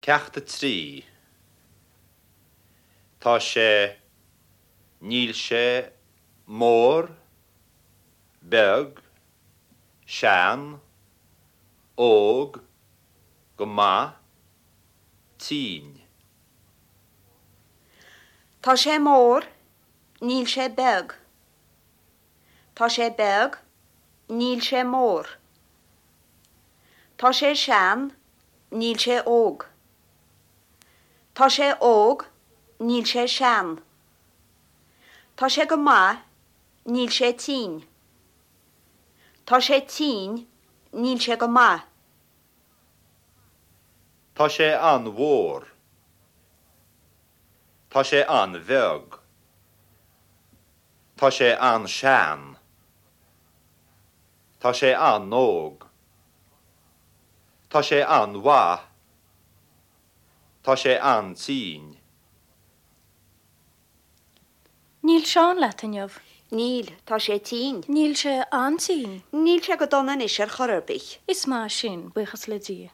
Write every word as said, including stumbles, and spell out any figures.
Ceacht a trí. Tá sé, níl sé, mór, beag, sean, óg, go maith, tinn. Tá sé mór, níl sé beag. Tá sé beag, níl sé mór. Tá sé sean, níl sé óg. Tá sé óg, níl sé sean. Tá sé go maith, níl sé tinn. Tá sé tinn, níl sé go maith. Tá sé an-mhór. Tá sé an-bheag. Tá sé an-sean. Tá sé an-óg. Tá sé an-mhaith. Tá sé an-tinn. Níl Seán leat inniu. Níl, tá sé tinn. Níl sé an-tinn. Níl sé go dona anois ar chor ar bith. Is maith sin, buíochas le Dia.